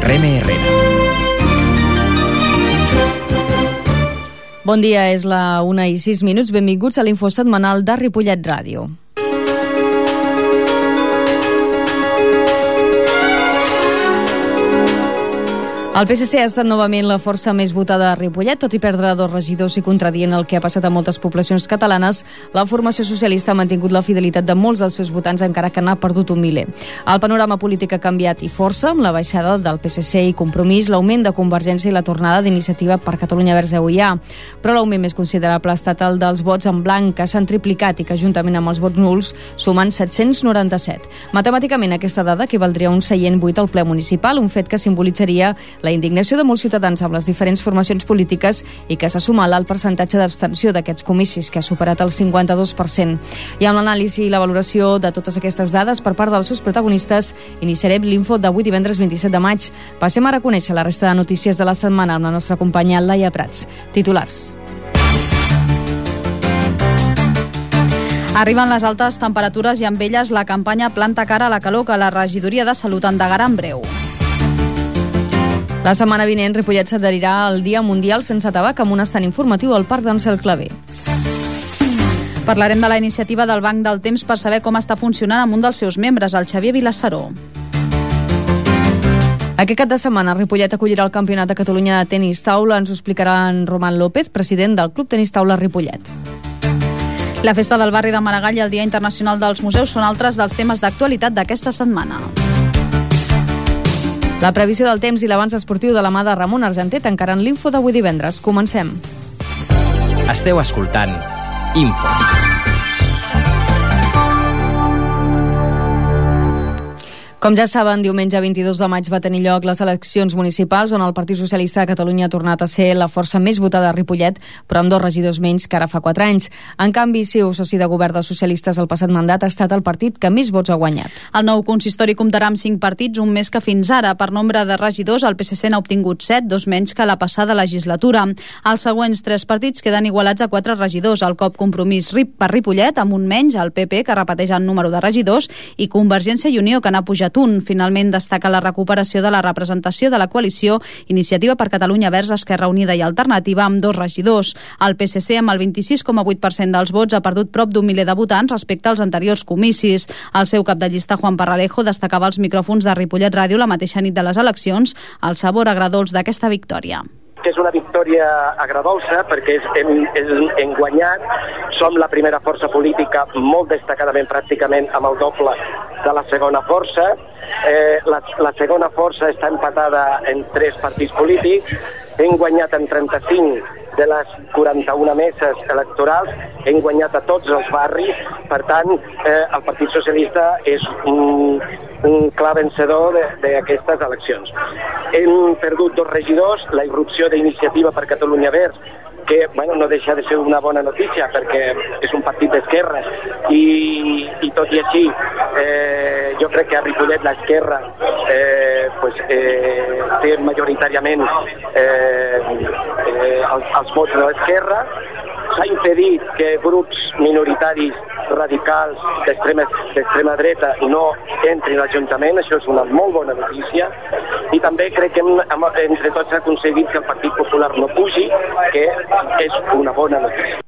Reme Herrera. Bon dia, és la 1:06. Benvinguts a l'info setmanal de Ripollet Ràdio. El PSC ha estat novament la força més votada a Ripollet, tot i perdre 2 regidors i contradient el que ha passat a moltes poblacions catalanes. La formació socialista ha mantingut la fidelitat de molts dels seus votants, encara que n'ha perdut un miler. El panorama polític ha canviat i força, amb la baixada del PSC i Compromís, l'augment de Convergència i la tornada d'Iniciativa per Catalunya Verds EUiA. Però l'augment més considerable ha estat el dels vots en blanc, que s'han triplicat i que, juntament amb els vots nuls, sumen 797. Matemàticament, aquesta dada equivaldria a un seient buit al ple municipal, un fet que simbolitzaria la indignació de molts ciutadans amb les diferents formacions polítiques i que s'ha sumat al percentatge d'abstenció d'aquests comicis, que ha superat el 52%. I amb l'anàlisi i la valoració de totes aquestes dades per part dels seus protagonistes, iniciarem l'info d'avui divendres 27 de maig. Passem ara a conèixer la resta de notícies de la setmana amb la nostra companya Laia Prats. Titulars. Arriben les altes temperatures i amb elles la campanya Planta cara a la calor, que la regidoria de Salut endegarà en breu. La setmana vinent, Ripollet s'adherirà al Dia Mundial Sense Tabac amb un estand informatiu al Parc d'Àngel Claver. Parlarem de la iniciativa del Banc del Temps per saber com està funcionant amb un dels seus membres, el Xavier Vilassaró. Aquest cap de setmana, Ripollet acollirà el Campionat de Catalunya de Tenis Taula. Ens ho explicarà en Roman López, president del Club Tenis Taula Ripollet. La festa del barri de Maragall i el Dia Internacional dels Museus són altres dels temes d'actualitat d'aquesta setmana. La previsió del temps i l'avanç esportiu de la mà de Ramon Argenté tancaran l'info d'avui divendres. Comencem. Esteu escoltant Info. Com ja saben, diumenge 22 de maig va tenir lloc les eleccions municipals on el Partit Socialista de Catalunya ha tornat a ser la força més votada a Ripollet, però amb 2 regidors menys que ara fa 4 anys. En canvi, CiU, soci de govern dels socialistes el passat mandat, ha estat el partit que més vots ha guanyat. El nou consistori comptarà amb 5 partits, un més que fins ara. Per nombre de regidors, el PSC n'ha obtingut 7, 2 menys que la passada legislatura. Els següents 3 partits queden igualats a 4 regidors. El COP Compromís per Ripollet, amb un menys, el PP, que repeteix el número de regidors, i Convergència i Unió, que n'ha pujat un. Finalment destaca la recuperació de la representació de la coalició Iniciativa per Catalunya Verds, Esquerra Unida i Alternativa, amb 2 regidors. El PSC, amb el 26,8% dels vots, ha perdut prop d'un miler de votants respecte als anteriors comicis. El seu cap de llista, Juan Parralejo, destacava als micròfons de Ripollet Ràdio la mateixa nit de les eleccions el sabor agredolç d'aquesta victòria. És una victòria agredolça perquè hem guanyat, som la primera força política molt destacadament, pràcticament amb el doble de la segona força. La segona força està empatada en 3 partits polítics, hem guanyat en 35 de les 41 meses electorals, hem guanyat a tots els barris, per tant, el Partit Socialista és un clar vencedor d'aquestes eleccions. Hem perdut 2 regidors, la irrupció d'Iniciativa per Catalunya Verds, que no deixa de ser una bona notícia perquè és un partit d'esquerra i tot i així jo crec que a Ripollet l'esquerra té majoritàriament els vots de l'esquerra. S'ha impedit que grups minoritaris radicals d'extrema dreta no entrin a l'Ajuntament, això és una molt bona notícia, i també crec que entre tots ha aconseguit que el Partit Popular no pugi, que és una bona notícia.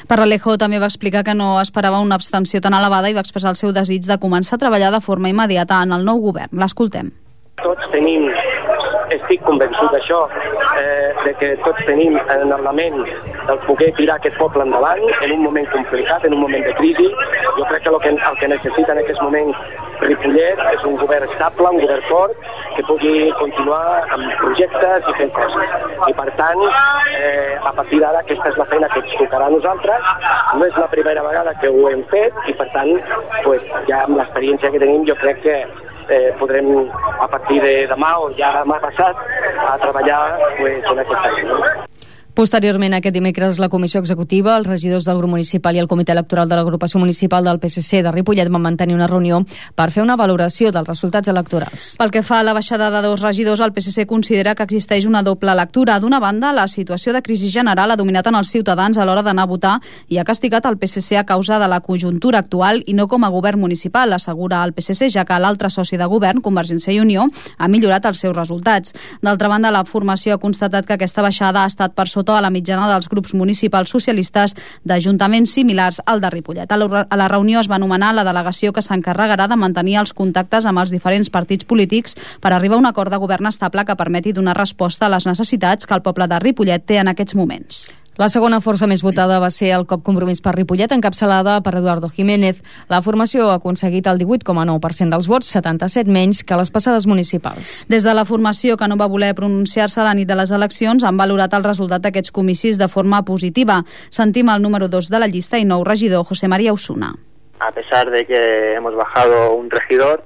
Parralejo també va explicar que no esperava una abstenció tan elevada i va expressar el seu desig de començar a treballar de forma immediata en el nou govern. L'escoltem. Estic convençut d'això, de que tots tenim en la ment el poder tirar aquest poble endavant en un moment complicat, en un moment de crisi. Jo crec que el que necessita en aquest moment Ripollet és un govern estable, un govern fort, que pugui continuar amb projectes i fent coses. I per tant, a partir d'ara, aquesta és la feina que ens tocarà a nosaltres. No és la primera vegada que ho hem fet i per tant, ja amb l'experiència que tenim, jo crec que podrem a partir de demà o ja demà passat a treballar en aquesta feina. Posteriorment, aquest dimecres, la Comissió Executiva, els regidors del grup municipal i el Comitè Electoral de l'Agrupació Municipal del PSC de Ripollet van mantenir una reunió per fer una valoració dels resultats electorals. Pel que fa a la baixada de 2 regidors, el PSC considera que existeix una doble lectura. D'una banda, la situació de crisi general ha dominat en els ciutadans a l'hora d'anar a votar i ha castigat el PSC a causa de la conjuntura actual i no com a govern municipal, assegura el PSC, ja que l'altre soci de govern, Convergència i Unió, ha millorat els seus resultats. D'altra banda, la formació ha constatat que aquesta baixada ha estat per sota de la mitjana dels grups municipals socialistes d'ajuntaments similars al de Ripollet. A la reunió es va anomenar la delegació que s'encarregarà de mantenir els contactes amb els diferents partits polítics per arribar a un acord de govern estable que permeti donar resposta a les necessitats que el poble de Ripollet té en aquests moments. La segona força més votada va ser el COP Compromís per Ripollet, encapçalada per Eduardo Jiménez. La formació ha aconseguit el 18,9% dels vots, 77 menys que les passades municipals. Des de la formació, que no va voler pronunciar-se a la nit de les eleccions, han valorat el resultat d'aquests comicis de forma positiva. Sentim el número 2 de la llista i nou regidor, José María Osuna. A pesar de que hemos bajado un regidor,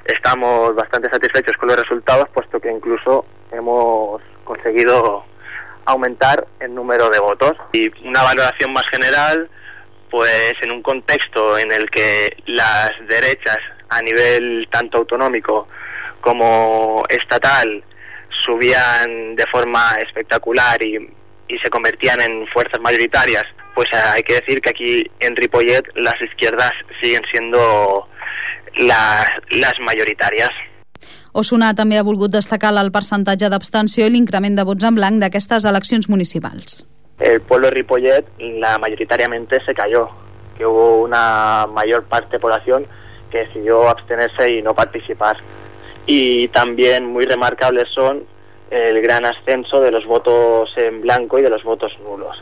estamos bastante satisfechos con los resultados, puesto que incluso hemos conseguido aumentar el número de votos. Y una valoración más general, pues en un contexto en el que las derechas a nivel tanto autonómico como estatal subían de forma espectacular y se convertían en fuerzas mayoritarias, pues hay que decir que aquí en Ripollet las izquierdas siguen siendo las mayoritarias. Osuna també ha volgut destacar el percentatge d'abstenció i l'increment de vots en blanc d'aquestes eleccions municipals. El pueblo de Ripollet mayoritariamente se cayó, que hubo una mayor parte de población que decidió abstenerse y no participar. Y también muy remarcables son el gran ascenso de los votos en blanco y de los votos nulos.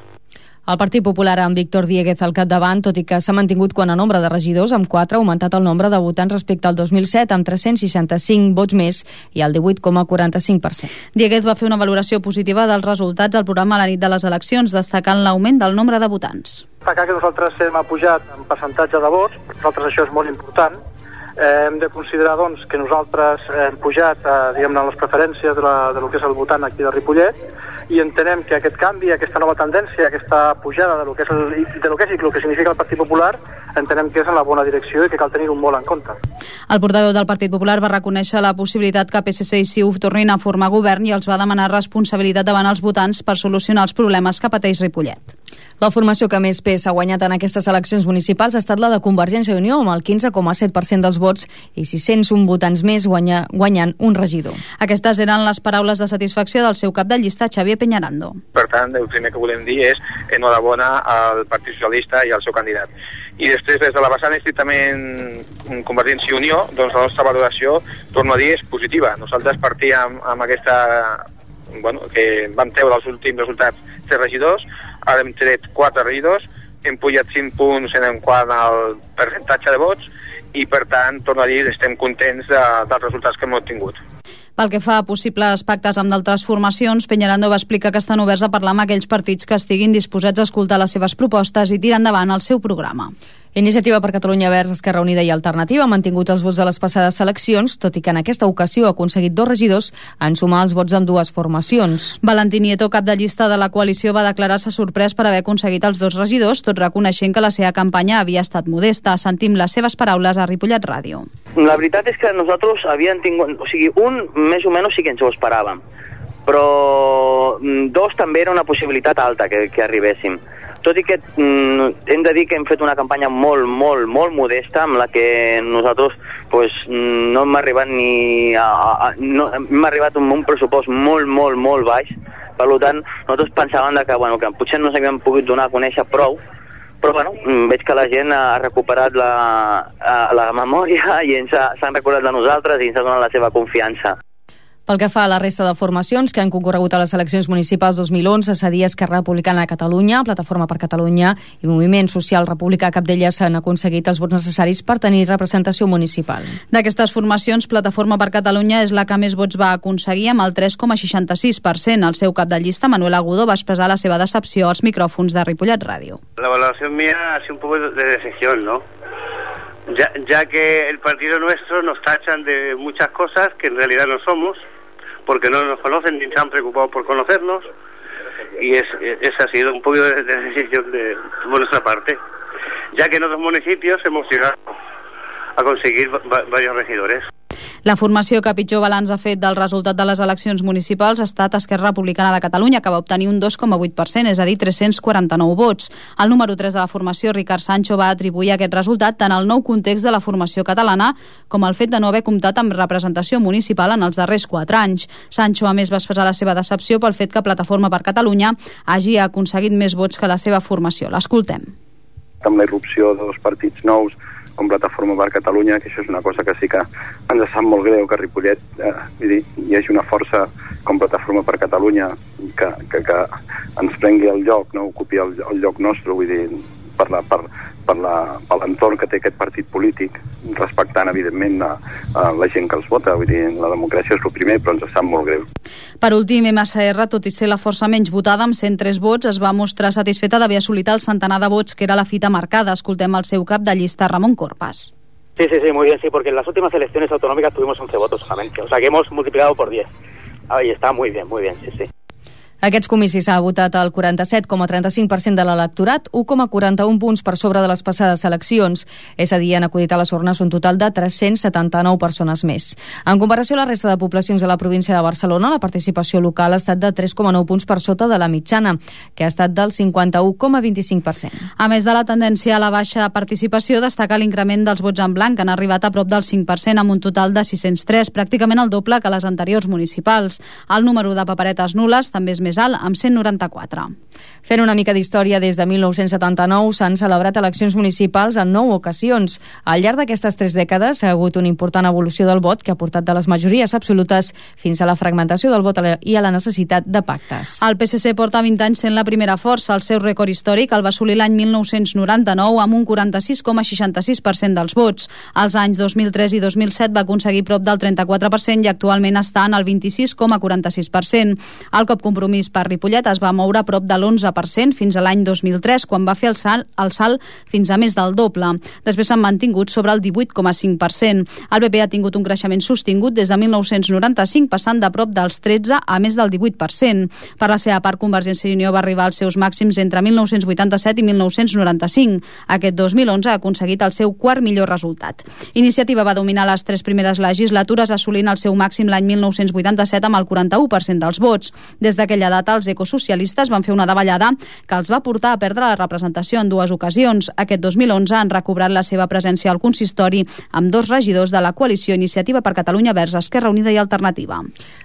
El Partit Popular, amb Víctor Dieguez al capdavant, tot i que s'ha mantingut quant a nombre de regidors, amb 4 ha augmentat el nombre de votants respecte al 2007, amb 365 vots més i el 18,45%. Dieguez va fer una valoració positiva dels resultats al programa a la nit de les eleccions, destacant l'augment del nombre de votants. Destacar que nosaltres hem pujat en percentatge de vots, per nosaltres això és molt important. Hem de considerar doncs, que nosaltres hem pujat diguem-ne, les preferències de lo que és el votant aquí de Ripollet, i entenem que aquest canvi, aquesta nova tendència, aquesta pujada de lo que és i el que significa el Partit Popular, entenem que és en la bona direcció i que cal tenir-ho molt en compte. El portaveu del Partit Popular va reconèixer la possibilitat que PSC i CiU tornin a formar govern i els va demanar responsabilitat davant els votants per solucionar els problemes que pateix Ripollet. La formació que més pes ha guanyat en aquestes eleccions municipals ha estat la de Convergència i Unió, amb el 15,7% dels vots i 601 votants més guanyant un regidor. Aquestes eren les paraules de satisfacció del seu cap de llista, Xavier Peñarando. Per tant, el primer que volem dir és enhorabona al Partit Socialista i al seu candidat. I després, des de la vessant estrictament Convergència i Unió, doncs la nostra valoració, torno a dir, és positiva. Nosaltres partíem amb aquesta... que vam treure els últims resultats 3 regidors, ara hem tret 4 regidors, hem pujat 5 punts en quant al percentatge de vots i, per tant, torno a dir, estem contents dels resultats que hem obtingut. Pel que fa a possibles pactes amb d'altres formacions, Peñarando va explicar que estan oberts a parlar amb aquells partits que estiguin disposats a escoltar les seves propostes i tirar endavant el seu programa. Iniciativa per Catalunya Verds, Esquerra Unida i Alternativa han mantingut els vots de les passades eleccions, tot i que en aquesta ocasió ha aconseguit 2 regidors en sumar els vots d'ambdues formacions. Valentí Nieto, cap de llista de la coalició, va declarar-se sorprès per haver aconseguit els 2 regidors, tot reconeixent que la seva campanya havia estat modesta. Sentim les seves paraules a Ripollet Ràdio. La veritat és que nosaltres havíem tingut... O sigui, un més o menys sí que ens ho esperàvem, però 2 també era una possibilitat alta que arribéssim. Tot i que hem de dir que hem fet una campanya molt modesta, amb la que nosaltres no hem arribat hem arribat amb un pressupost molt baix. Per tant, nosaltres pensàvem que potser no s'havien pogut donar a conèixer prou, però veig que la gent ha recuperat la memòria i s'han recordat de nosaltres i ens ha donat la seva confiança. Pel que fa a la resta de formacions que han concorregut a les eleccions municipals 2011, cedia Esquerra Republicana de Catalunya, Plataforma per Catalunya i Moviment Social Republicà, cap d'elles s'han aconseguit els vots necessaris per tenir representació municipal. D'aquestes formacions, Plataforma per Catalunya és la que més vots va aconseguir, amb el 3,66%. El seu cap de llista, Manuel Agudo, va expressar la seva decepció als micròfons de Ripollet Ràdio. La valoración mía ha sido un poco de decepción, ¿no? Ya que el partido nuestro nos tachan de muchas cosas que en realidad no somos, porque no nos conocen ni se han preocupado por conocernos, y esa ha sido un poco de decisión por nuestra parte, ya que en otros municipios hemos llegado a conseguir varios regidores. La formació que pitjor balanç ha fet del resultat de les eleccions municipals ha estat Esquerra Republicana de Catalunya, que va obtenir un 2,8%, és a dir, 349 vots. El número 3 de la formació, Ricard Sancho, va atribuir aquest resultat tant al nou context de la formació catalana com al fet de no haver comptat amb representació municipal en els darrers 4 anys. Sancho, a més, va expressar la seva decepció pel fet que Plataforma per Catalunya hagi aconseguit més vots que la seva formació. L'escoltem. Amb la irrupció de dos partits nous, com Plataforma per Catalunya, que això és una cosa que sí que ens sap molt greu, que a Ripollet hi hagi una força com Plataforma per Catalunya que ens prengui el lloc, no ocupi el lloc nostre, vull dir, per l'entorn que té aquest partit polític, respectant, evidentment, la gent que els vota. Vull dir, la democràcia és el primer, però ens sap molt greu. Per últim, MSR, tot i ser la força menys votada, amb 103 vots, es va mostrar satisfeta d'haver assolit el centenar de vots que era la fita marcada. Escoltem el seu cap de llista, Ramon Corpas. Sí, muy bien, sí, porque en las últimas elecciones autonómicas tuvimos 11 votos solamente, o sea que hemos multiplicado por 10. Ahí está, muy bien, sí. Aquests comicis ha votat el 47,35% de l'electorat, 1,41 punts per sobre de les passades eleccions. És a dir, han acudit a les urnes un total de 379 persones més. En comparació a la resta de poblacions de la província de Barcelona, la participació local ha estat de 3,9 punts per sota de la mitjana, que ha estat del 51,25%. A més de la tendència a la baixa participació, destaca l'increment dels vots en blanc, que han arribat a prop del 5%, amb un total de 603, pràcticament el doble que les anteriors municipals. El número de paperetes nules també és més alt, amb 194. Fent una mica d'història, des de 1979 s'han celebrat eleccions municipals en 9 ocasions. Al llarg d'aquestes 3 dècades ha hagut una important evolució del vot que ha portat de les majories absolutes fins a la fragmentació del vot i a la necessitat de pactes. El PSC porta 20 anys sent la primera força. El seu rècord històric el va assolir l'any 1999 amb un 46,66% dels vots. Als anys 2003 i 2007 va aconseguir prop del 34% i actualment està en el 26,46%. El cop Compromís per Ripollet es va moure a prop de l'11% fins a l'any 2003, quan va fer el salt fins a més del doble. Després s'han mantingut sobre el 18,5%. El PP ha tingut un creixement sostingut des de 1995, passant de prop dels 13 a més del 18%. Per la seva part, Convergència i Unió va arribar als seus màxims entre 1987 i 1995. Aquest 2011 ha aconseguit el seu quart millor resultat. Iniciativa va dominar les 3 primeres legislatures, assolint el seu màxim l'any 1987 amb el 41% dels vots. Des d'aquella data, els ecosocialistes van fer una davallada que els va portar a perdre la representació en 2 ocasions. Aquest 2011 han recobrat la seva presència al consistori amb 2 regidors de la coalició Iniciativa per Catalunya Verds, Esquerra Unida i Alternativa.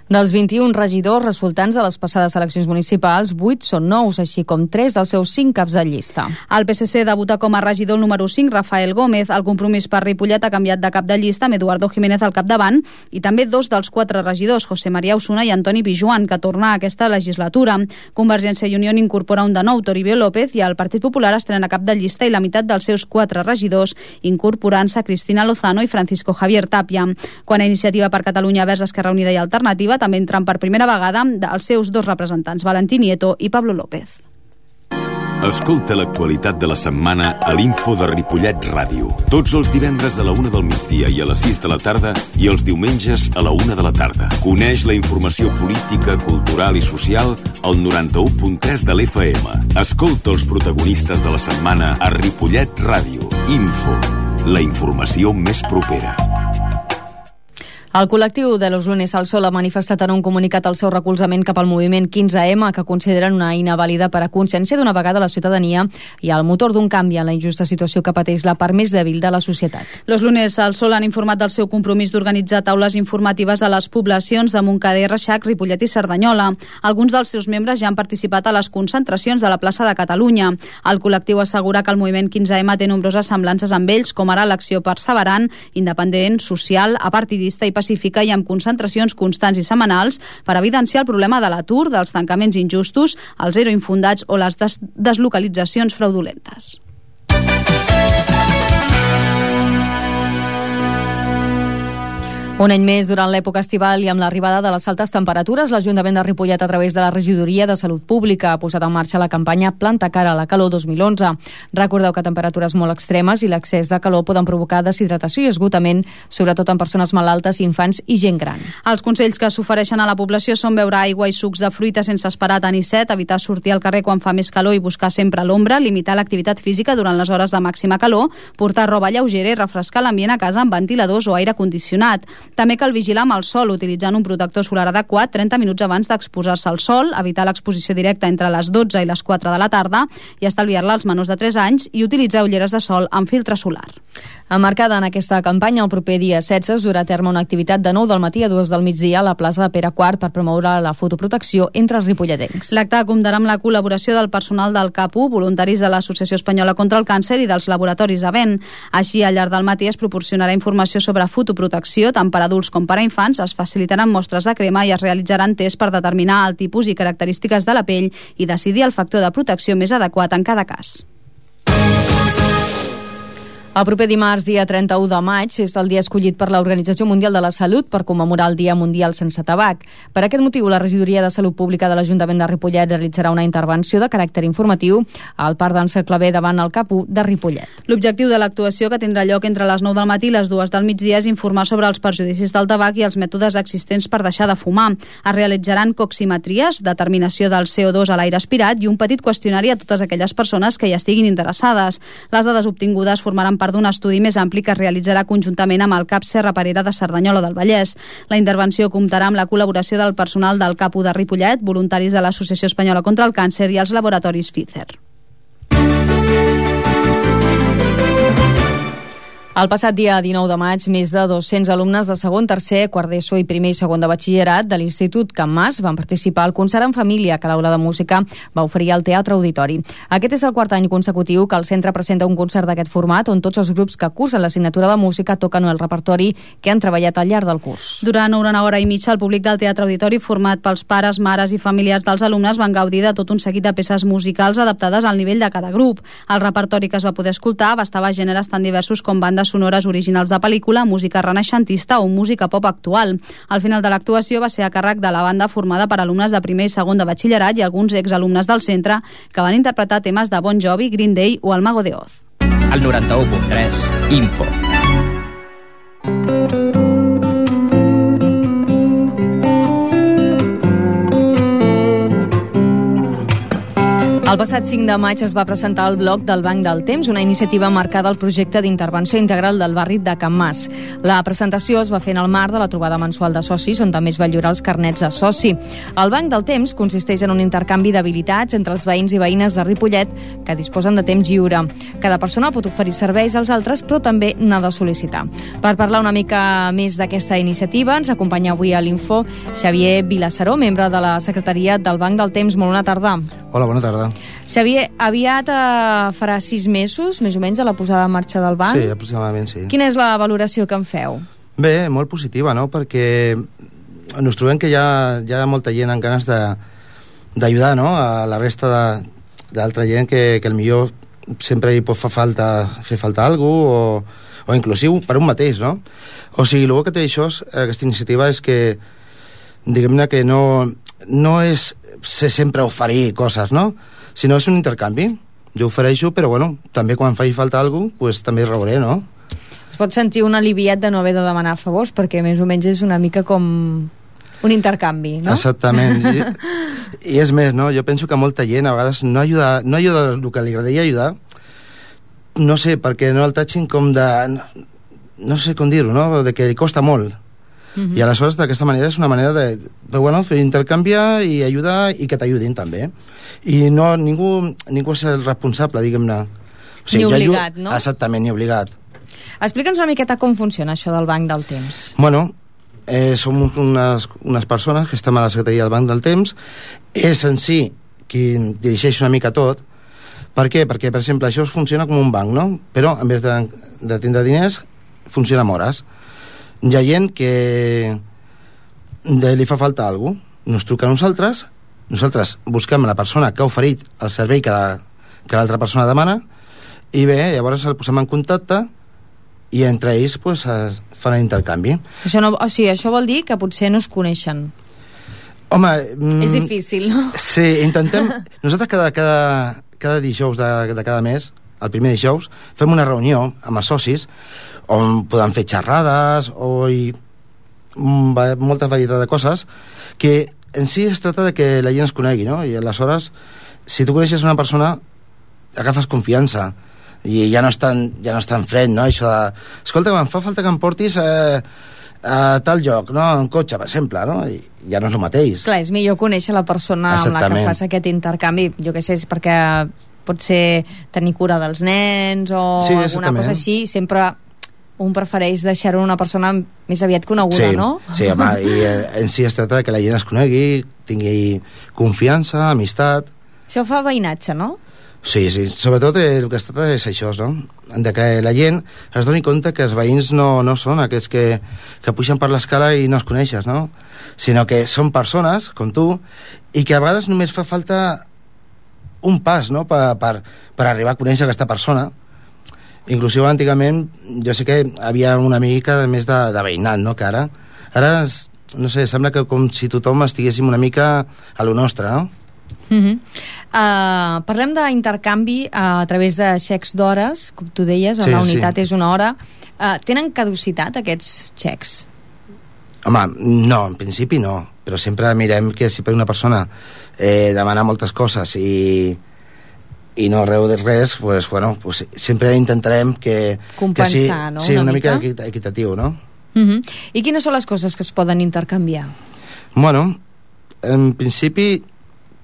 Dels 21 regidors resultants de les passades eleccions municipals, 8 són nous, així com 3 dels seus 5 caps de llista. El PSC debuta com a regidor número 5, Rafael Gómez. El Compromís per Ripollet ha canviat de cap de llista amb Eduardo Jiménez al capdavant i també 2 dels 4 regidors, José María Osuna i Antoni Pijuan, que torna a aquesta legislatura. Convergència i Unió incorpora un de nou, Toribio López, i el Partit Popular estrena cap de llista i la meitat dels seus 4 regidors, incorporant-se Cristina Lozano i Francisco Javier Tapia. Quan a Iniciativa per Catalunya Verds, Esquerra Unida i Alternativa també entran per primera vegada els seus 2 representants, Valentín Nieto i Pablo López. Escolta l'actualitat de la setmana a l'Info de Ripollet Ràdio. Tots els divendres a la 1 del migdia i a les 6 de la tarda i els diumenges a la 1 de la tarda. Coneix la informació política, cultural i social al 91.3 de l'FM. Escolta els protagonistes de la setmana a Ripollet Ràdio. Info, la informació més propera. El col·lectiu de Los Lunes al Sol ha manifestat en un comunicat el seu recolzament cap al moviment 15M, que consideren una eina vàlida per a conscienciar d'una vegada la ciutadania i el motor d'un canvi en la injusta situació que pateix la part més dèbil de la societat. Los Lunes al Sol han informat del seu compromís d'organitzar taules informatives a les poblacions de Montcada i Reixac, Ripollet i Cerdanyola. Alguns dels seus membres ja han participat a les concentracions de la plaça de Catalunya. El col·lectiu assegura que el moviment 15M té nombroses semblances amb ells, com ara l'acció perseverant, independent, social, apartidista i pacífica i amb concentracions constants i setmanals per evidenciar el problema de l'atur, dels tancaments injustos, els ERO infundats o les deslocalitzacions fraudulentes. Un any més, durant l'època estival i amb l'arribada de les altes temperatures, l'Ajuntament de Ripollet, a través de la Regidoria de Salut Pública, ha posat en marxa la campanya Planta cara a la calor 2011. Recordeu que temperatures molt extremes i l'excés de calor poden provocar deshidratació i esgotament, sobretot en persones malaltes, infants i gent gran. Els consells que s'ofereixen a la població són beure aigua i sucs de fruita sense esperar tenir set, evitar sortir al carrer quan fa més calor i buscar sempre l'ombra, limitar l'activitat física durant les hores de màxima calor, portar roba lleugera i refrescar l'ambient a casa amb ventiladors o aire condicionat. També cal vigilar amb el sol, utilitzant un protector solar adequat 30 minuts abans d'exposar-se al sol, evitar l'exposició directa entre les 12 i les 4 de la tarda i estalviar-la als menors de 3 anys i utilitzar ulleres de sol amb filtre solar. Emmarcada en aquesta campanya, el proper dia 16 es durà a terme una activitat de 9 del matí a 2 del migdia a la plaça de Pere IV per promoure la fotoprotecció entre els ripolletencs. L'acte comptarà amb la col·laboració del personal del CAPU, voluntaris de l'Associació Espanyola contra el Càncer i dels laboratoris Avent. Així, al llarg del matí es proporcionarà informació sobre fotoprotecció, tant per adults com per a infants, es facilitaran mostres de crema i es realitzaran tests per determinar el tipus i característiques de la pell i decidir el factor de protecció més adequat en cada cas. El proper dimarts, dia 31 de maig, és el dia escollit per l'Organització Mundial de la Salut per commemorar el Dia Mundial sense tabac. Per aquest motiu, la Regidoria de Salut Pública de l'Ajuntament de Ripollet realitzarà una intervenció de caràcter informatiu al Parc d'en Cercle B davant el CAPU de Ripollet. L'objectiu de l'actuació, que tindrà lloc entre les 9 del matí i les 2 del migdia, és informar sobre els perjudicis del tabac i els mètodes existents per deixar de fumar. Es realitzaran coximetries, determinació del CO2 a l'aire aspirat i un petit qüestionari a totes aquelles persones que hi estiguin interessades. Les dades obtingudes formaran part d'un estudi més ampli que es realitzarà conjuntament amb el CAP Serra Parera de Cerdanyola del Vallès. La intervenció comptarà amb la col·laboració del personal del CAPU de Ripollet, voluntaris de l'Associació Espanyola contra el Càncer i els laboratoris Pfizer. El passat dia 19 de maig, més de 200 alumnes de segon, tercer, quart d'ESO i primer i segon de batxillerat de l'Institut Can Mas van participar al concert en família que l'Aula de Música va oferir al Teatre Auditori. Aquest és el quart any consecutiu que el centre presenta un concert d'aquest format on tots els grups que cursen l'assignatura de música toquen el repertori que han treballat al llarg del curs. Durant una hora i mitja, el públic del Teatre Auditori, format pels pares, mares i familiars dels alumnes, van gaudir de tot un seguit de peces musicals adaptades al nivell de cada grup. El repertori que es va poder escoltar abastava gèneres tan diversos com bandes sonores originals de pel·lícula, música renaixentista o música pop actual. Al final de l'actuació va ser a càrrec de la banda formada per alumnes de primer i segon de batxillerat i alguns exalumnes del centre que van interpretar temes de Bon Jovi, Green Day o el Mago de Oz. Al 91.3, Info. El passat 5 de maig es va presentar el bloc del Banc del Temps, una iniciativa marcada al projecte d'intervenció integral del barri de Can Mas. La presentació es va fer en el marc de la trobada mensual de socis, on també es va lliurar els carnets de soci. El Banc del Temps consisteix en un intercanvi d'habilitats entre els veïns i veïnes de Ripollet que disposen de temps lliure. Cada persona pot oferir serveis als altres, però també n'ha de sol·licitar. Per parlar una mica més d'aquesta iniciativa, ens acompanya avui a l'Info Xavier Vilassaró, membre de la Secretaria del Banc del Temps. Molt bona tarda. Hola, bona tarda. Xavier, aviat farà 6 mesos, més o menys, a la posada en marxa del banc? Sí, aproximadament sí. Quina és la valoració que en feu? Bé, molt positiva, no?, perquè ens trobem que hi ha molta gent amb ganes d'ajudar, no?, a la resta d'altra gent que millor sempre hi pot fer falta alguna cosa, o inclusiu per un mateix, no? O sigui, el que té això, aquesta iniciativa, és que, diguem-ne que no és sempre oferir coses, no?, sinó és un intercanvi. Jo ofereixo, però bueno, també quan faci falta alguna cosa, pues, també rebré, no? Es pot sentir un aliviat de no haver de demanar favors, perquè més o menys és una mica com un intercanvi, no? Exactament. I és més, no? Jo penso que molta gent a vegades no ajuda el que li agradaria ajudar, no sé, perquè no el tatxin com de... no sé com dir-ho, no? De que li costa molt. I aleshores d'aquesta manera és una manera de fer intercanviar i ajudar i que t'ajudin també. I no, ningú és el responsable, diguem-ne. O sigui, ni obligat, no? Exactament, ni obligat. Explica'ns una miqueta com funciona això del Banc del Temps. Bueno, som unes persones que estem a la Secretaria del Banc del Temps. És en si qui dirigeix una mica tot. Per què? Perquè, per exemple, això funciona com un banc, no? Però en vez de tindre diners, funciona amb hores. Hi ha gent que li fa falta alguna cosa, ens truca a nosaltres busquem la persona que ha oferit el servei que l'altra persona demana i bé, llavors el posem en contacte i entre ells fan l'intercanvi. Això no, o sigui, això vol dir que potser no es coneixen. Home... És difícil, no? Sí, intentem... Nosaltres cada dijous de cada mes, el primer dijous, fem una reunió amb els socis on podem fer xerrades o molta varietat de coses que en si es tracta de que la gent es conegui, no? I aleshores, si tu coneixes una persona, agafes confiança i ja no és tan fred, no? Això de, escolta, em fa falta que em portis a tal lloc, no? En cotxe, per exemple, no? I ja no és el mateix. Clar, és millor conèixer la persona amb la que fas aquest intercanvi, jo què sé, és perquè pot ser tenir cura dels nens o alguna cosa així, sempre un prefereix deixar-ho una persona més aviat coneguda, no? Sí, home, i en si es tracta de que la gent es conegui, tingui confiança, amistat... Això fa veïnatge, no? Sí, sobretot el que es tracta és això, no? De que la gent es doni compte que els veïns no són aquests que pugen per l'escala i no els coneixes, no? Sinó que són persones, com tu, i que a vegades només fa falta un pas, no?, per arribar a conèixer aquesta persona. Inclusive antigament jo sé que havia una mica més de veïnat, no?, que ara no sé, sembla que com si tothom estiguéssim una mica a lo nostre, no? Parlem d'intercanvi a través de xecs d'hores, com tu deies, la unitat és una hora. Tenen caducitat aquests xecs? Home, no, en principi no, però sempre mirem que si per una persona demana moltes coses i no reu de res, pues, bueno, pues sempre intentarem que compensar, no? Sí, una mica equitatiu, no? I quines són les coses que es poden intercanviar? Bueno, en principi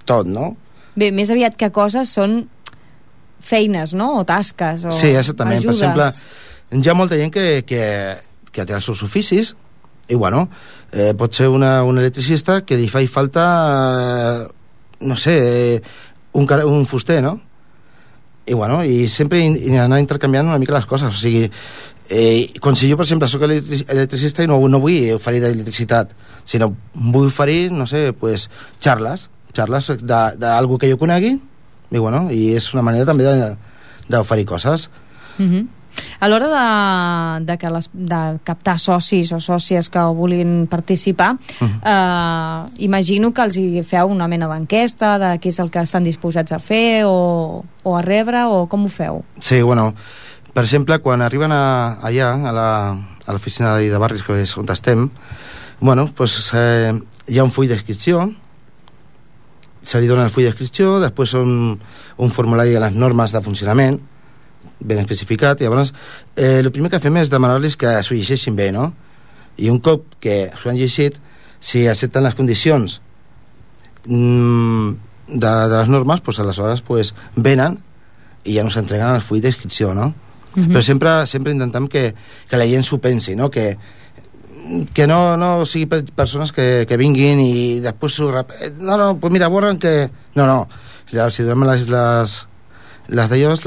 tot, no? Bé, més aviat que coses són feines, no? O tasques, o sí, exactament. ajudes. Per exemple, hi ha molta gent que té els seus oficis i, bueno, pot ser un electricista que li faci falta, no sé, un fuster, no? I, bueno, i sempre anar intercanviant una mica les coses, o sigui, quan si jo, per exemple, soc electricista i no vull oferir d'electricitat, sinó vull oferir, no sé, pues, xarles d'algú que jo conegui, i, bueno, i és una manera també d'oferir coses. A l'hora de captar socis o sòcies que vulguin participar, imagino que els hi feu una mena d'enquesta de què és el que estan disposats a fer o a rebre, o com ho feu? Sí, bueno, per exemple, quan arriben allà, a l'oficina de barris, que és on estem, bueno, pues, hi ha un full d'inscripció, se li dona el full d'inscripció, després un formulari a les normes de funcionament, ben especificat, i llavors el primer que fem és demanar-los que s'ho llegeixin bé, no? I un cop que s'ho han llegit, si accepten les condicions de les normes, pues aleshores pues, venen i ja no s'entreguen el full d'inscripció, no? Però sempre intentem que la gent s'ho pensi, no? Que no sigui persones que vinguin i després no, pues mira, borren que... No, si donem les d'ells,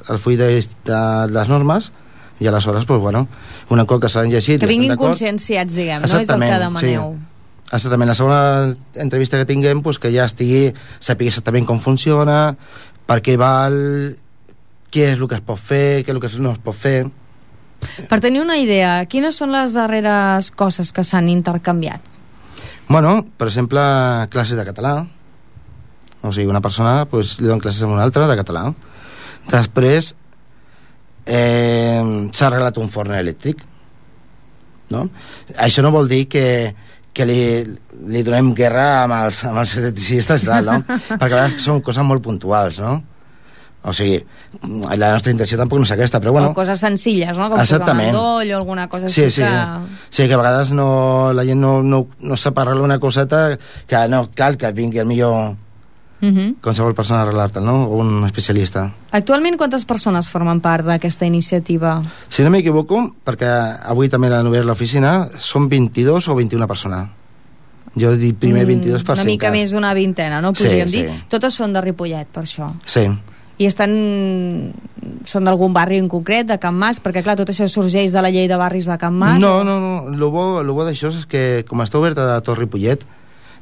el full de les normes, i aleshores, pues, bueno, una cop que s'han llegit... Que vinguin conscienciats, diguem, no? És el que demaneu. Sí. Exactament. La segona entrevista que tinguem, pues, que ja sàpiga exactament com funciona, per què val, què és el que es pot fer, què és el que no es pot fer... Per tenir una idea, quines són les darreres coses que s'han intercanviat? Bueno, per exemple, classes de català. O sigui, una persona pues, li dona classes a una altra de català. Després s'ha arreglat un forn elèctric, no? Això no vol dir que li donem guerra amb els electricistes i tal, no? Perquè a vegades són coses molt puntuals, no? O sigui, la nostra intenció tampoc no és aquesta, però bueno... O coses senzilles, no? Com posar un endoll o alguna cosa així que... Sí, que a vegades la gent no sap arreglar una coseta que no cal que vingui el millor qualsevol persona a arreglar-te, no? O un especialista. Actualment quantes persones formen part d'aquesta iniciativa? Si no m'equivoco, perquè avui també l'han obert l'oficina, són 22 o 21 persones. Jo he dit primer 22 per una mica més d'una vintena, no? Podríem dir. Totes són de Ripollet, per això. Sí. I són d'algun barri en concret, de Can Mas? Perquè, clar, tot això sorgeix de la llei de barris de Can Mas? No. Lo bo d'això és que, com està oberta de tot Ripollet,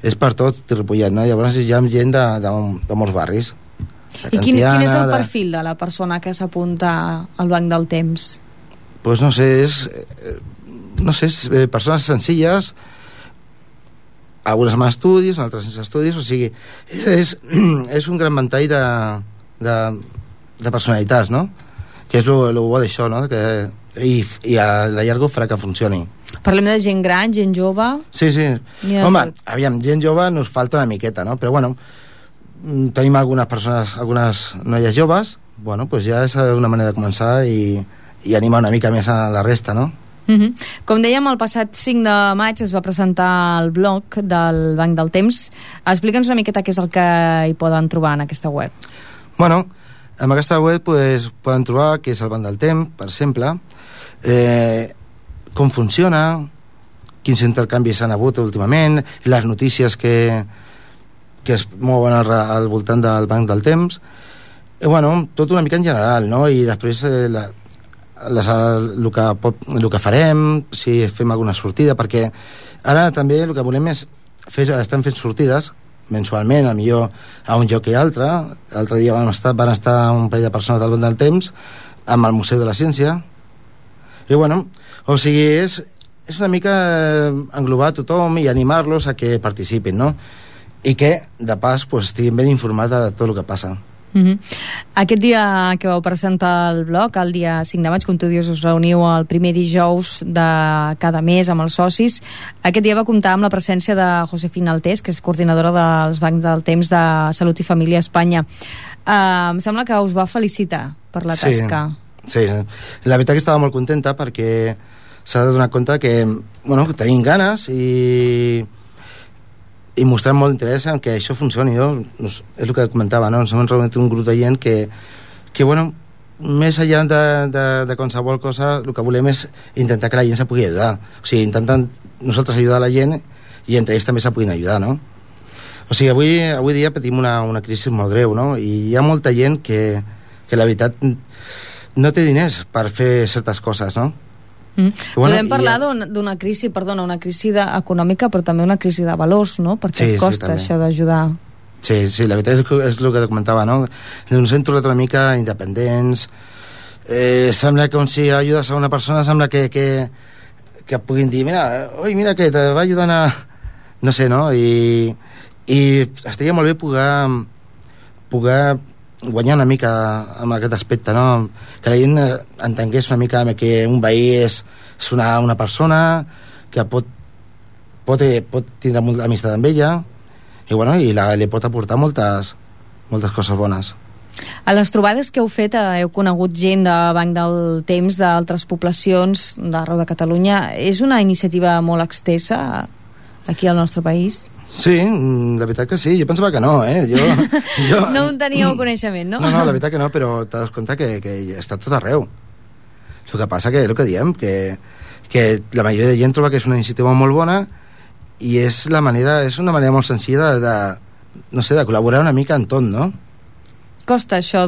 és per tot Ripollet, no? Llavors hi ha gent de molts barris. I quin és el perfil de la persona que s'apunta al Banc del Temps? Pues no sé, no sé, persones senzilles, algunes amb estudis, altres sense estudis, o sigui, és un gran ventall de personalitats, no? Que és el bo d'això, no? I a la llarga farà que funcioni. Parlem de gent gran, gent jove... Sí. Home, aviam, gent jove nos falta una miqueta, no? Però bueno, tenim algunes persones, algunes noies joves, bueno, pues ja és una manera de començar i animar una mica més a la resta, no? Com dèiem, el passat 5 de maig es va presentar el blog del Banc del Temps. Explica'ns una miqueta què és el que hi poden trobar en aquesta web. Bueno, en aquesta web pues, poden trobar què és el Banc del Temps, per exemple, com funciona, quins intercanvis s'han hagut últimament, les notícies que es mouen al voltant del Banc del Temps, i bueno, tot una mica en general, no? I després el que farem, si fem alguna sortida, perquè ara també el que volem és estem fent sortides mensualment, a millor a un lloc i altre. L'altre dia van estar un parell de persones del Banc del Temps amb el Museu de la Ciència, i bueno, o sigui, és una mica englobar tothom i animar-los a que participin, no? I que, de pas, pues, estiguin ben informats de tot el que passa. Aquest dia que vau presentar el blog, el dia 5 de maig, com tu dius, us reuniu el primer dijous de cada mes amb els socis. Aquest dia va comptar amb la presència de Josefina Altés, que és coordinadora dels Bancs del Temps de Salut i Família a Espanya. Em sembla que us va felicitar per la tasca. Sí, la veritat que estava molt contenta perquè s'ha de donar compte que, bueno, que tenim ganes i mostrem molt interès en que això funcioni, no? És el que comentava, no? Ens hem reunit un grup de gent que bueno, més enllà de qualsevol cosa, el que volem és intentar que la gent se pugui ajudar. O sigui, intentant nosaltres ajudar la gent i entre ells també se puguin ajudar, no? O sigui, avui dia patim una crisi molt greu, no? I hi ha molta gent que la veritat no té diners per fer certes coses, no? Podem parlar d'una crisi, una crisi econòmica, però també una crisi de valors, no? Perquè costa això d'ajudar. Sí, la veritat és el que comentava, no? Ens hem tornat una mica independents, sembla que si ajudes a una persona sembla que puguin dir, mira que te va ajudant a... no sé, no? I estaria molt bé poder guanyar una mica amb aquest aspecte, no? Que la gent entengués una mica que un veí és una persona que pot tindre molta amistat amb ella i, bueno, li pot aportar moltes coses bones. A les trobades que heu fet heu conegut gent de Banc del Temps d'altres poblacions d'arreu de Catalunya. És una iniciativa molt extensa aquí al nostre país? Sí, la veritat que sí. Jo pensava que no, Jo... No en teníeu coneixement, no? No, la veritat que no, però t'has compte que està tot arreu. El que passa que és el que diem, que la majoria de gent troba que és una iniciativa molt bona i és una manera molt senzilla de col·laborar una mica en tot, no? Costa això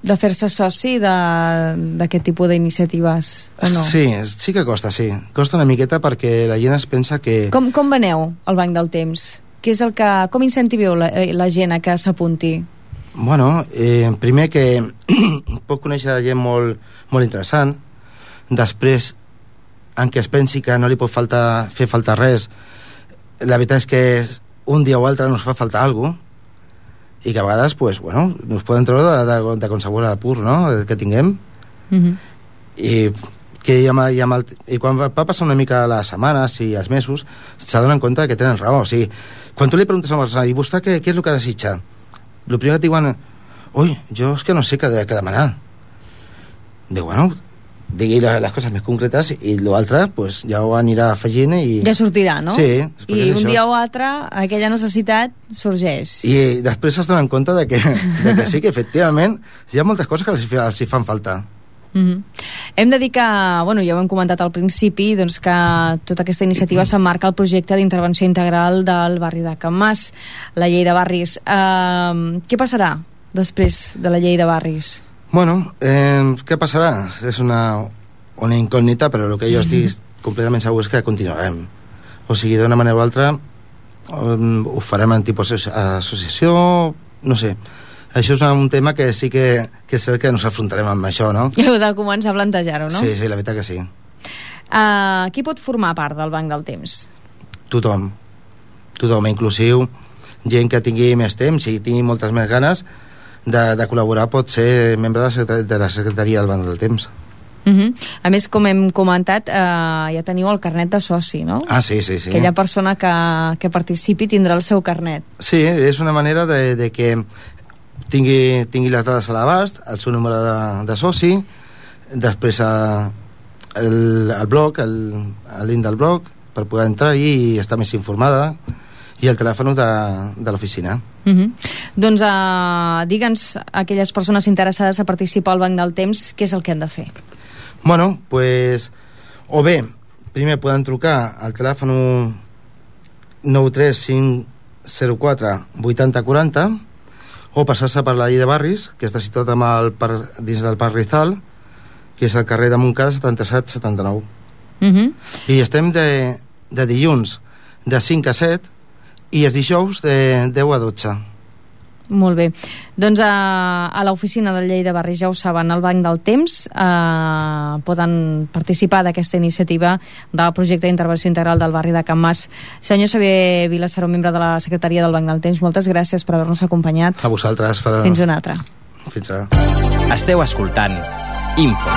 de fer-se soci d'aquest tipus d'iniciatives, o no? Sí que costa, sí. Costa una miqueta perquè la gent es pensa que... Com veneu al Banc del Temps? Com incentiveu la gent a que s'apunti? Bueno, primer que pot conèixer gent molt interessant. Després, en què es pensi que no li pot fer falta res, la veritat és que un dia o altre nos fa faltar alguna cosa, i que a vegades, pues, bueno, nos poden treure de qualsevol apur, no?, que tinguem. I quan va passar una mica les setmanes i els mesos, s'adonen compte que tenen raó. O sigui, quan tu li preguntes a una persona, i vostè què és el que desitja? El primer que et diuen, ui, jo és que no sé què demanar. Diu, bueno, digui les coses més concretes i l'altre pues, ja ho anirà afegint i... Ja sortirà, no? Sí. I un dia o altre aquella necessitat sorgeix. I després es donen compte de que sí, que efectivament hi ha moltes coses que els hi fan falta. Hem de dir que, bueno, ja ho hem comentat al principi, doncs que tota aquesta iniciativa s'emmarca al projecte d'intervenció integral del barri de Can Mas, la llei de barris. Què passarà després de la llei de barris? Bueno, què passarà? És una incògnita, però el que jo estic completament segur és que continuarem. O sigui, d'una manera o altra ho farem en tipus associació, no sé. Això és un tema que sí que és cert que ens afrontarem amb això, no? I heu de començar a plantejar-ho, no? Sí, la veritat que sí. Qui pot formar part del Banc del Temps? Tothom, inclusiu gent que tingui més temps i tingui moltes més ganes de col·laborar, pot ser membre de la secretaria del Banc del Temps. A més, com hem comentat, ja teniu el carnet de soci, no? Sí. Aquella persona que participi tindrà el seu carnet. Sí, és una manera de que tingui les dades a l'abast, el seu número de soci, després el blog, el link del blog, per poder entrar i estar més informada, i el telèfon de l'oficina. Doncs digue'ns aquelles persones interessades a participar al Banc del Temps, què és el que han de fer? Bueno, pues, o bé, primer poden trucar al telèfon 93504 8040 o passar-se per la llei de barris, que està situat dins del Parc Rizal, que és al carrer de Montcada 77-79. I estem de dilluns de 5 a 7 i els dijous de 10 a 12. Molt bé. Doncs a l'oficina de Llei de Barris, ja ho saben, al Banc del Temps poden participar d'aquesta iniciativa del projecte d'intervenció integral del barri de Can Mas. Senyor Xavier Vilassaró, membre de la Secretaria del Banc del Temps, moltes gràcies per haver-nos acompanyat. A vosaltres. Fins una altra. Fins ara. Esteu escoltant Info.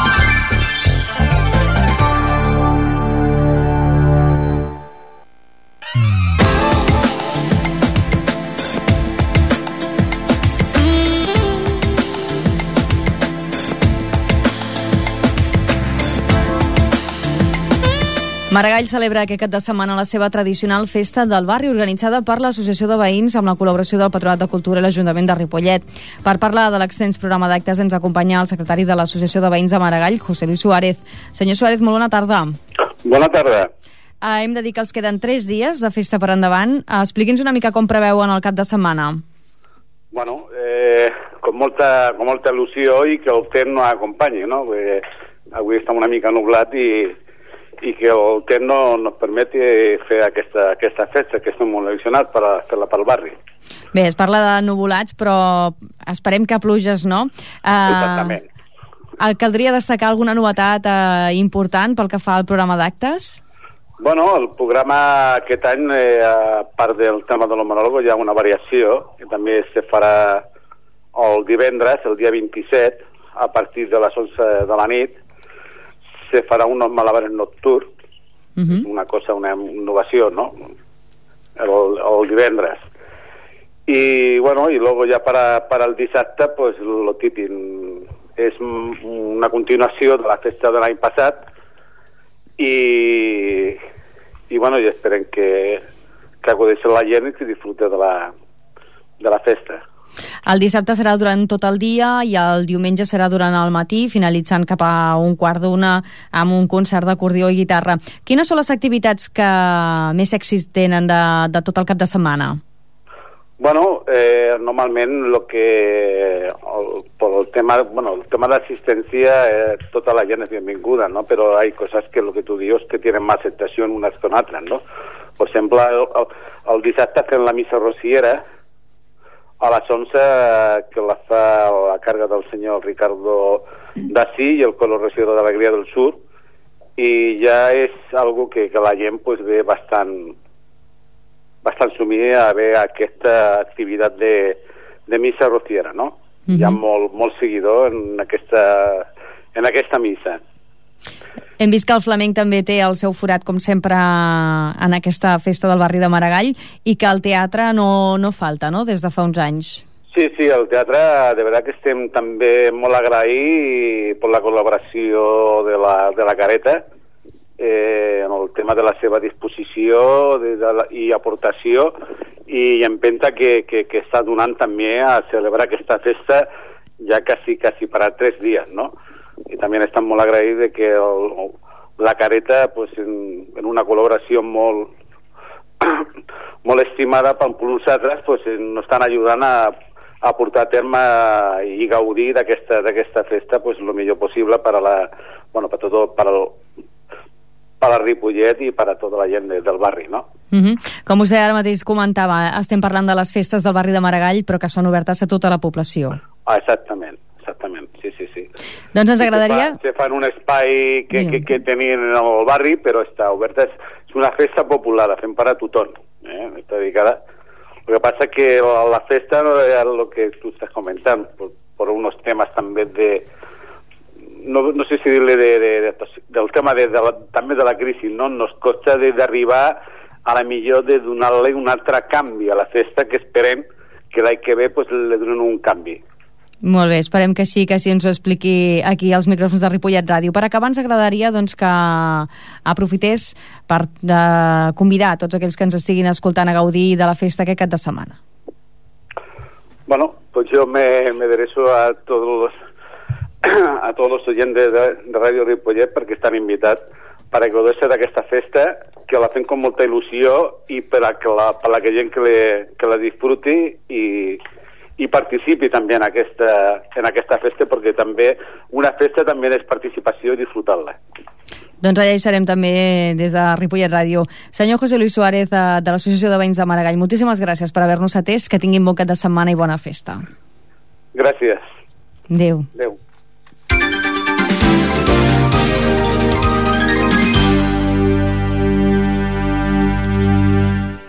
Maragall celebra aquest cap de setmana la seva tradicional festa del barri, organitzada per l'Associació de Veïns amb la col·laboració del Patronat de Cultura i l'Ajuntament de Ripollet. Per parlar de l'extens programa d'actes ens acompanya el secretari de l'Associació de Veïns de Maragall, José Luis Suárez. Senyor Suárez, molt bona tarda. Bona tarda. Hem de dir que els queden 3 dies de festa per endavant. Expliqui'ns una mica com preveuen el cap de setmana. Bueno, con molta il·lusió i que el temps no acompanyi, no? Avui està una mica nublat i que el temps no ens permeti fer aquesta festa que estem molt il·lusionats per fer-la pel barri. Bé, es parla de nuvolats, però esperem que pluges, no? Exactament. Caldria destacar alguna novetat important pel que fa al programa d'actes? Bueno, el programa aquest any, a part del tema de l'homonòlogo, hi ha una variació, que també se farà el divendres, el dia 27, a partir de les 11 de la nit, se farà unos malabares nocturns, una innovació, ¿no? El divendres. Y bueno, y luego ya para el dissabte, pues lo típico, es una continuació de la festa de l'any passat i bueno, i esperem que acudeixi la gent i que disfrute de la festa. El dissabte serà durant tot el dia i el diumenge serà durant el matí, finalitzant cap a 1:15 amb un concert d'acordió i guitarra. Quines són les activitats que més èxits tenen de tot el cap de setmana? Bueno, normalment el tema d'assistència, tota la gent és benvinguda, ¿no? Però hi ha coses que lo que tu dius que tenen més acceptació unes que altres, ¿no? Per exemple, el dissabte fem la missa rociera a les 11, que la fa a càrrega del senyor Ricardo Dací i el coro regidor de l'Alegria del Sur, i ja és algo que la gent pues, ve bastant sumida a veure aquesta activitat de missa rociera, no? Hi ha molt seguidor en aquesta missa. Hem vist que el flamenc també té el seu forat, com sempre, en aquesta festa del barri de Maragall, i que el teatre no falta, no?, des de fa uns anys. Sí, el teatre, de veritat que estem també molt agraïts per la col·laboració de la Careta en el tema de la seva disposició i aportació i empenta que està donant també a celebrar aquesta festa ja quasi per 3 dies, no? I també estem molt agraïts de que la Careta, pues, en una col·laboració molt estimada per nosaltres, pues, ens estan ajudant a portar a terme i gaudir d'aquesta festa pues, el millor possible per a Ripollet i per a tota la gent del barri, no? Com vostè ara mateix comentava, estem parlant de les festes del barri de Maragall, però que són obertes a tota la població. Exactament, sí. sí. Doncs ens agradaria... Se fa en un espai que tenien en el barri, però està oberta. És una festa popular, la fem per a tothom. Està dedicada. Lo que pasa que la festa no es lo que tú estás comentando, por unos temas también no sé si dirle del tema también de la crisis, no? Nos costa d'arribar a la millor de donar-li un altre canvi a la festa, que esperem que l'any que ve pues, li donen un canvi. Molt bé, esperem que sí ens ho expliqui aquí als micròfons de Ripollet Ràdio. Per acabar, ens agradaria doncs, que aprofités per convidar tots aquells que ens estiguin escoltant a gaudir de la festa aquest cap de setmana. Bueno, pues yo me derecho a todos los oyentes de Radio Ripollet perquè estan invitats per a gaudir d'aquesta festa, que la fem amb molta il·lusió i per a que gent que la disfruti i participi també en aquesta festa, perquè també una festa també és participació i disfrutar-la. Doncs allà hi serem també des de Ripollet Ràdio. Senyor José Luis Suárez, de l'Associació de Veïns de Maragall, moltíssimes gràcies per haver-nos atès, que tinguin bon cap de setmana i bona festa. Gràcies. Adéu. Adéu.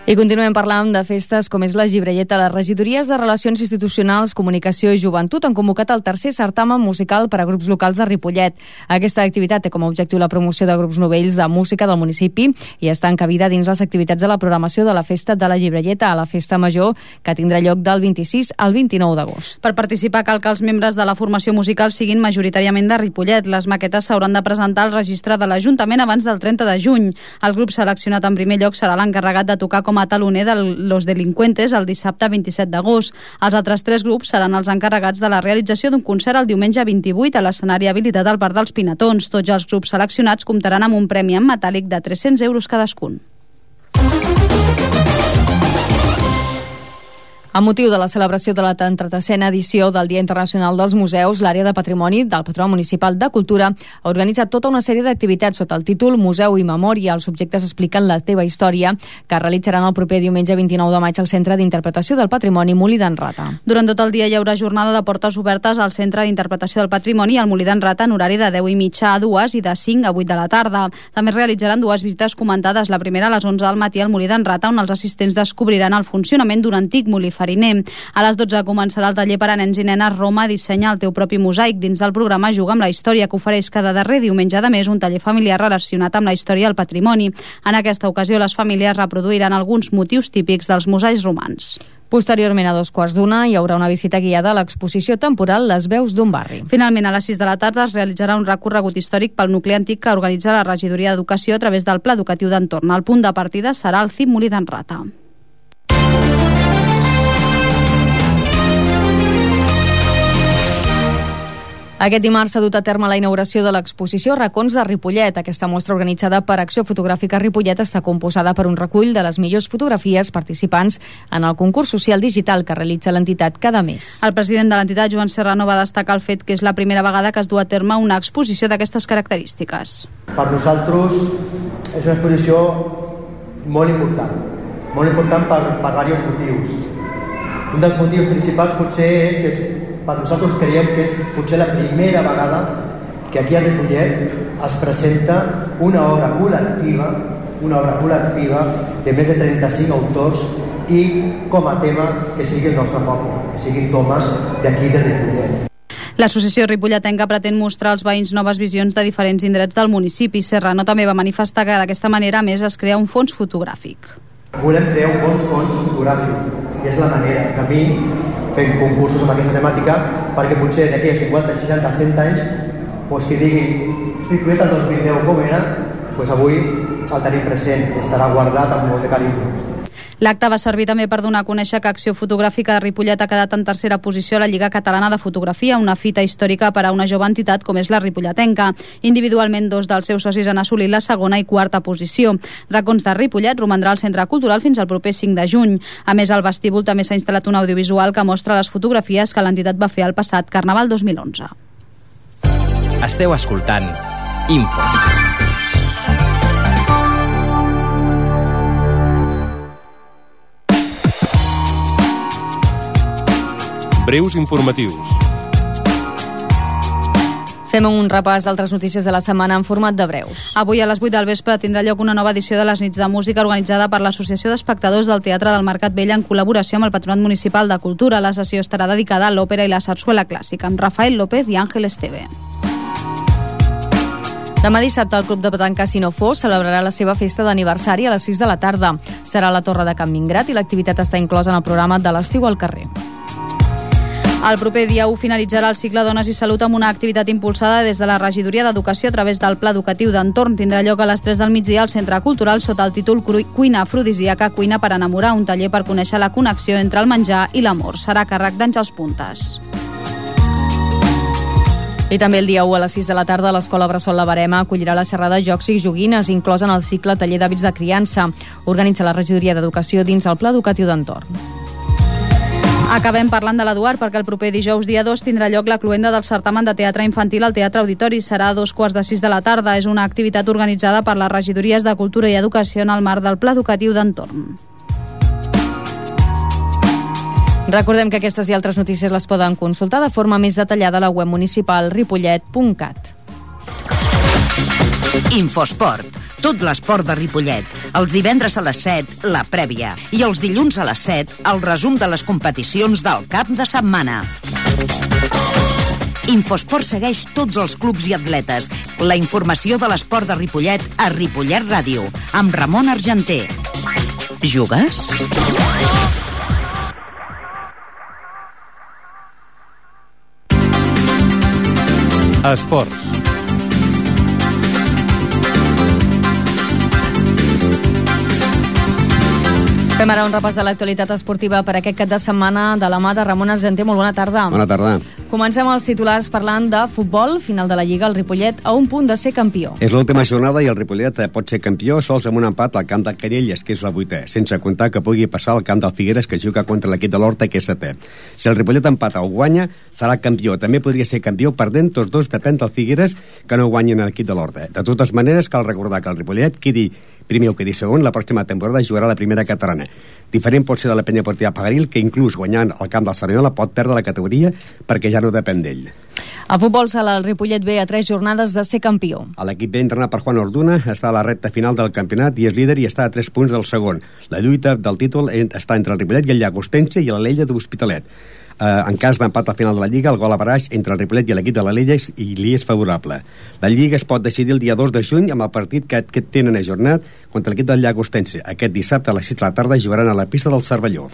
I continuem parlant de festes com és la Gibrelleta. Les regidories de Relacions Institucionals, Comunicació i Joventut han convocat el tercer certamen musical per a grups locals de Ripollet. Aquesta activitat té com a objectiu la promoció de grups novells de música del municipi i està encabida dins les activitats de la programació de la Festa de la Gibrelleta, a la Festa Major, que tindrà lloc del 26 al 29 d'agost. Per participar cal que els membres de la formació musical siguin majoritàriament de Ripollet. Les maquetes s'hauran de presentar al registre de l'Ajuntament abans del 30 de juny. El grup seleccionat en primer lloc serà l'encarregat de tocar com a taloner de Los Delincuentes el dissabte 27 d'agost. Els altres 3 grups seran els encarregats de la realització d'un concert el diumenge 28 a l'escenari habilitat al Parc dels Pinatons. Tots els grups seleccionats comptaran amb un premi en metàl·lic de 300 euros cadascun. Amb motiu de la celebració de la 33a edició del Dia Internacional dels Museus, l'àrea de patrimoni del Patronat Municipal de Cultura ha organitzat tota una sèrie d'activitats sota el títol Museu i Memòria. Els subjectes expliquen la teva història, que realitzaran el proper diumenge 29 de maig al Centre d'Interpretació del Patrimoni Molí d'en Rata. Durant tot el dia hi haurà jornada de portes obertes al Centre d'Interpretació del Patrimoni al Molí d'en Rata en horari de 10:30 a 2 i de 5 a 8 de la tarda. També es realitzaran 2 visites comentades, la primera a les 11 del matí al Molí d'en Rata, on els assistents descobriran el funcionament d'un antic molí fariner. A les 12 començarà el taller per a nens i nenes Roma, dissenya el teu propi mosaic. Dins del programa Juga amb la història, que ofereix cada darrer diumenge de mes un taller familiar relacionat amb la història del patrimoni. En aquesta ocasió les famílies reproduiran alguns motius típics dels mosaics romans. Posteriorment, a 2:15, hi haurà una visita guiada a l'exposició temporal Les veus d'un barri. Finalment, a les 6 de la tarda es realitzarà un recorregut històric pel nucli antic que organitza la Regidoria d'Educació a través del Pla Educatiu d'Entorn. El punt de partida serà el CIP Molí d'en Rata. Aquest dimarts s'ha dut a terme la inauguració de l'exposició Racons de Ripollet. Aquesta mostra organitzada per Acció Fotogràfica Ripollet està composada per un recull de les millors fotografies participants en el concurs social digital que realitza l'entitat cada mes. El president de l'entitat, Joan Serrano, va destacar el fet que és la primera vegada que es du a terme una exposició d'aquestes característiques. Per nosaltres és una exposició molt important per diversos motius. Un dels motius principals potser és que per nosaltres creiem que és potser la primera vegada que aquí a Ripollet es presenta una obra col·lectiva de més de 35 autors i com a tema que sigui el nostre poble, que siguin tomes d'aquí de Ripollet. L'associació ripolletenca pretén mostrar als veïns noves visions de diferents indrets del municipi. Serrano també va manifestar que d'aquesta manera, a més, es crea un fons fotogràfic. Volem crear un bon fons fotogràfic i és la manera que a mi fent concursos amb aquesta temàtica perquè potser d'aquí a 50, 60, 100 anys qui digui Ripollet el 2010 com era, avui el tenim present i estarà guardat amb molt de carinyo. L'acte va servir també per donar a conèixer que Acció Fotogràfica de Ripollet ha quedat en tercera posició a la Lliga Catalana de Fotografia, una fita històrica per a una jove entitat com és la ripolletenca. Individualment, 2 dels seus socis han assolit la segona i quarta posició. Racons de Ripollet romandrà al Centre Cultural fins al proper 5 de juny. A més, al vestíbul també s'ha instal·lat un audiovisual que mostra les fotografies que l'entitat va fer al passat Carnaval 2011. Esteu escoltant Info. Breus informatius. Fem un repàs d'altres notícies de la setmana en format de breus. Avui a les 8 del vespre tindrà lloc una nova edició de les nits de música organitzada per l'Associació d'Espectadors del Teatre del Mercat Vell en col·laboració amb el Patronat Municipal de Cultura. La sessió estarà dedicada a l'òpera i la sarsuela clàssica amb Rafael López i Àngel Esteve. Demà dissabte el Club de Petanca Sinofós celebrarà la seva festa d'aniversari a les 6 de la tarda. Serà a la Torre de Can Mingrat i l'activitat està inclosa en el programa de l'estiu al carrer. El proper dia 1 finalitzarà el cicle Dones i Salut amb una activitat impulsada des de la Regidoria d'Educació a través del Pla Educatiu d'Entorn. Tindrà lloc a les 3 del migdia al Centre Cultural sota el títol Cuina Afrodisíaca, cuina per enamorar, un taller per conèixer la connexió entre el menjar i l'amor. Serà a càrrec d'Àngels Puntes. I també el dia 1 a les 6 de la tarda l'Escola Bressol La Verema acollirà la xerrada Jocs i Joguines, inclosa en el cicle Taller d'Hàbits de Criança. Organitza la Regidoria d'Educació dins el Pla Educatiu d'Entorn. Acabem parlant de l'Eduard perquè el proper dijous dia 2 tindrà lloc la cloenda del certamen de teatre infantil al Teatre Auditori. Serà a 2:45 de la tarda. És una activitat organitzada per les regidories de Cultura i Educació en el marc del Pla Educatiu d'Entorn. Recordem que aquestes i altres notícies les poden consultar de forma més detallada a la web municipal ripollet.cat. Infosport. Tot l'esport de Ripollet. Els divendres a les 7, la prèvia. I els dilluns a les 7, el resum de les competicions del cap de setmana. Infosport segueix tots els clubs i atletes. La informació de l'esport de Ripollet a Ripollet Ràdio, amb Ramon Argenter. Jugues? Esports. Fem ara un repàs de l'actualitat esportiva per aquest cap de setmana de la mà de Ramon Argenter. Molt bona tarda. Bona tarda. Comencem els titulars parlant de futbol. Final de la Lliga, el Ripollet a un punt de ser campió. És l'última jornada i el Ripollet pot ser campió sols amb un empat al camp de Carelles, que és la 8è, sense comptar que pugui passar al camp del Figueres, que juga contra l'equip de l'Horta, que és 7è. Si el Ripollet empata o guanya, serà campió. També podria ser campió perdent, tots dos depèn del Figueres, que no guanyin l'equip de l'Horta. De totes maneres, cal recordar que el Ripollet quedi primer o quedi segon, la pròxima temporada jugarà la primera catalana. Diferent pot ser de la Penya Esportiva Pagaril, que inclús guanyant el camp del Cerdanyola pot perdre la categoria perquè ja no depèn d'ell. A futbol sala, el Ripollet ve a 3 jornades de ser campió. L'equip B, entrenat per Juan Orduna, està a la recta final del campionat i és líder i està a 3 punts del segon. La lluita del títol està entre el Ripollet i el Llagostense i l'Alella de l'Hospitalet. En cas d'empat al final de la Lliga, el gol a baraix entre el Ripollet i l'equip de l'Alella li és favorable. La Lliga es pot decidir el dia 2 de juny amb el partit que tenen ajornat contra l'equip del Llagostense. Aquest dissabte a les 6 de la tarda jugaran a la pista del Cervelló.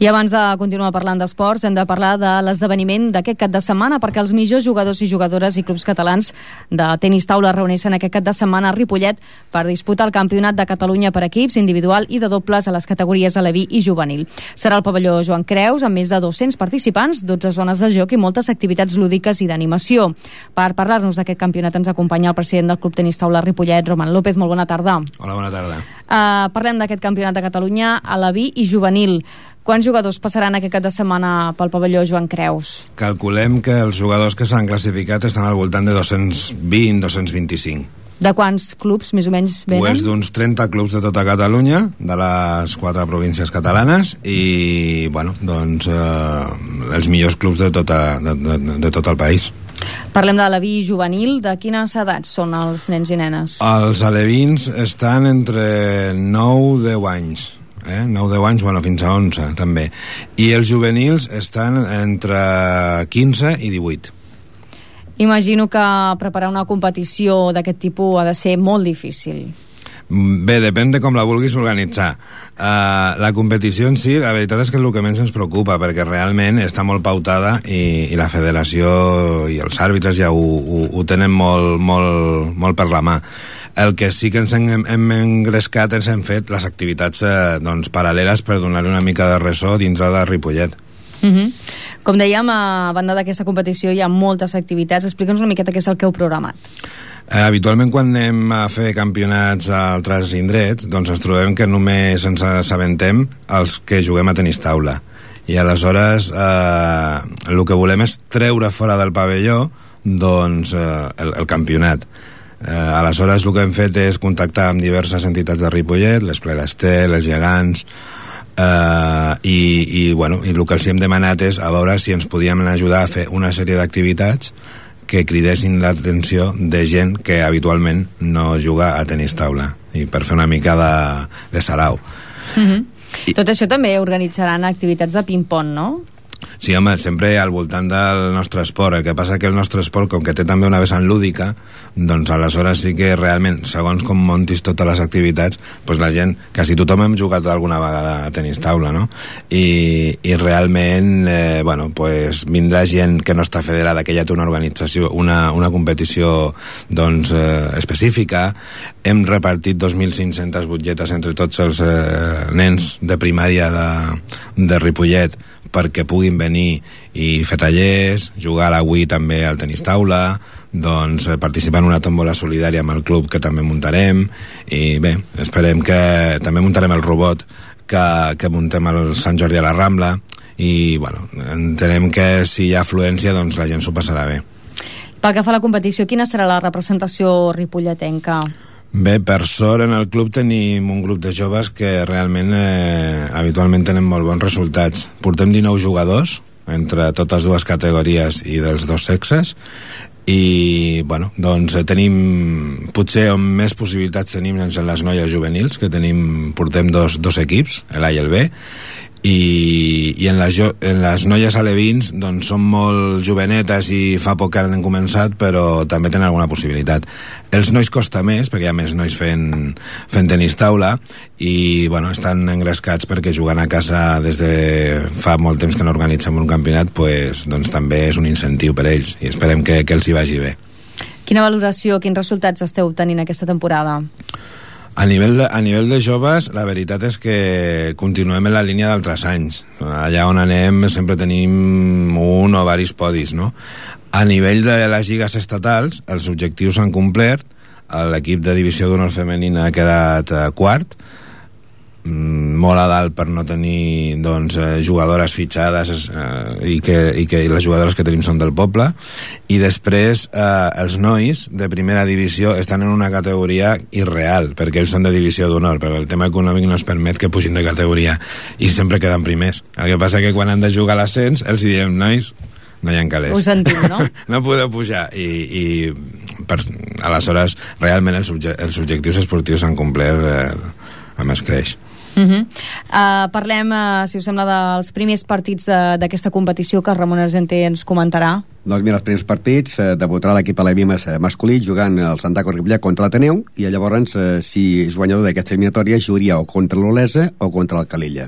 I abans de continuar parlant d'esports, hem de parlar de l'esdeveniment d'aquest cap de setmana, perquè els millors jugadors i jugadores i clubs catalans de tenis taula reuneixen aquest cap de setmana a Ripollet per disputar el Campionat de Catalunya per equips, individual i de dobles a les categories aleví i juvenil. Serà el pavelló Joan Creus, amb més de 200 participants, 12 zones de joc i moltes activitats lúdiques i d'animació. Per parlar-nos d'aquest campionat ens acompanya el president del Club Tenis Taula Ripollet, Roman López. Molt bona tarda. Hola, bona tarda. Parlem d'aquest Campionat de Catalunya aleví i juvenil. Quants jugadors passaran aquest cap de setmana pel pavelló Joan Creus? Calculem que els jugadors que s'han classificat estan al voltant de 220-225. De quants clubs, més o menys, venen? Pues d'uns 30 clubs de tota Catalunya, de les 4 províncies catalanes, i, bueno, doncs, els millors clubs de tot el país. Parlem de l'aleví juvenil. De quines edats són els nens i nenes? Els alevins estan entre 9-10 anys. 9-10 anys, bueno, fins a 11 també, i els juvenils estan entre 15 i 18. Imagino que preparar una competició d'aquest tipus ha de ser molt difícil. Bé, depèn de com la vulguis organitzar. La competició en si, la veritat és que és el que menys ens preocupa, perquè realment està molt pautada i la federació i els àrbitres ja ho tenen molt per la mà. El que sí que ens hem engrescat és hem fet les activitats paral·leles per donar-li una mica de ressò dintre de Ripollet. Com dèiem, a banda d'aquesta competició hi ha moltes activitats. Explica'ns una miqueta què és el que heu programat. Habitualment quan anem a fer campionats a altres indrets, doncs ens trobem que només ens assabentem els que juguem a tenis taula, i aleshores el que volem és treure fora del pavelló doncs el campionat. Aleshores el que hem fet és contactar amb diverses entitats de Ripollet, les Plegastel, els Gegants, i el que els hem demanat és a veure si ens podíem ajudar a fer una sèrie d'activitats que cridessin l'atenció de gent que habitualment no juga a tenis taula, i per fer una mica de sarau. Tot això també organitzaran activitats de ping-pong, no? Sí, home, sempre al voltant del nostre esport. El que passa que el nostre esport, com que té també una vessant lúdica, doncs aleshores sí que realment, segons com montis totes les activitats, doncs la gent, quasi tothom hem jugat alguna vegada a tenis taula, no? I realment, bueno, doncs vindrà gent que no està federada, que ja té una organització, una competició, doncs, específica. Hem repartit 2.500 butlletes entre tots els nens de primària de Ripollet, perquè puguin venir i fer tallers, jugar a la Wii també al tenis taula, doncs participar en una tòmbola solidària amb el club que també muntarem, i bé, esperem que també muntarem el robot que muntem al Sant Jordi a la Rambla, i bueno, entenem que si hi ha afluència doncs la gent s'ho passarà bé. Pel que fa a la competició, quina serà la representació ripolletenca? Bé, per sort en el club tenim un grup de joves que realment habitualment tenen molt bons resultats. Portem 19 jugadors entre totes dues categories i dels dos sexes, i bueno, doncs tenim, potser on més possibilitats tenim en les noies juvenils, que portem dos equips, l'A i el B, i en les noies alevins doncs són molt jovenetes i fa poc que han començat, però també tenen alguna possibilitat. Els nois costa més, perquè hi ha més nois fent tenis taula, i bueno, estan engrescats perquè jugant a casa des de fa molt temps que no organitzem un campionat, doncs també és un incentiu per ells, i esperem que els hi vagi bé. Quina valoració, quins resultats esteu tenint aquesta temporada? A nivell de joves, la veritat és que continuem en la línia d'altres anys. Allà on anem sempre tenim un o varis podis, no? A nivell de les lligues estatals, els objectius s'han complert. L'equip de divisió d'honor femenina ha quedat quart, molt a dalt per no tenir doncs, jugadores fitxades, i que les jugadores que tenim són del poble, i després els nois de primera divisió estan en una categoria irreal, perquè ells són de divisió d'honor, però el tema econòmic no es permet que pugin de categoria i sempre queden primers. El que passa que quan han de jugar a l'ascens els diem, nois, no hi ha calés. Ho sentim, no? No podeu pujar, i aleshores realment els objectius esportius s'han complert amb escreix. Parlem, si us sembla, dels primers partits d'aquesta competició que Ramon Argenter ens comentarà. Doncs mira, els primers partits debutarà l'equip aleví masculí jugant el Santaco Ripollet contra l'Ateneu, i llavors si és guanyador d'aquesta eliminatòria jugaria o contra l'Olesa o contra el Calella.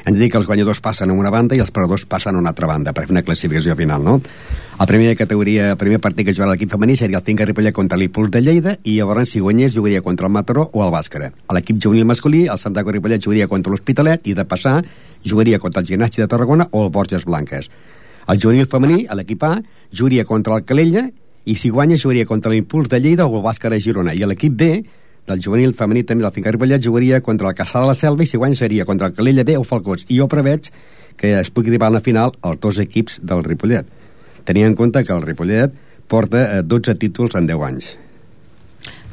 Hem de dir que els guanyadors passen a una banda i els perdedors passen a una altra banda per fer una classificació final, no? El primer partit que jugarà l'equip femení seria el Finca Ripollet contra l'Impuls de Lleida, i llavors si guanyés jugaria contra el Mataró o el Bàscara. A l'equip juvenil masculí, el Santaco Ripollet jugaria contra l'Hospitalet, i de passar jugaria contra el Gimnàstic de Tarragona o el Borges Blanques. El juvenil femení, a l'equip A, jugaria contra el Calella, i si guanya jugaria contra l'Impuls de Lleida o el Bàscara Girona. I l'equip B, del juvenil femení també del Finca Ripollet, jugaria contra el Caçà de la Selva, i si guanya seria contra el Calella B o Falcots. I jo preveig que es pugui arribar a la final els dos equips del Ripollet, tenint en compte que el Ripollet porta 12 títols en 10 anys.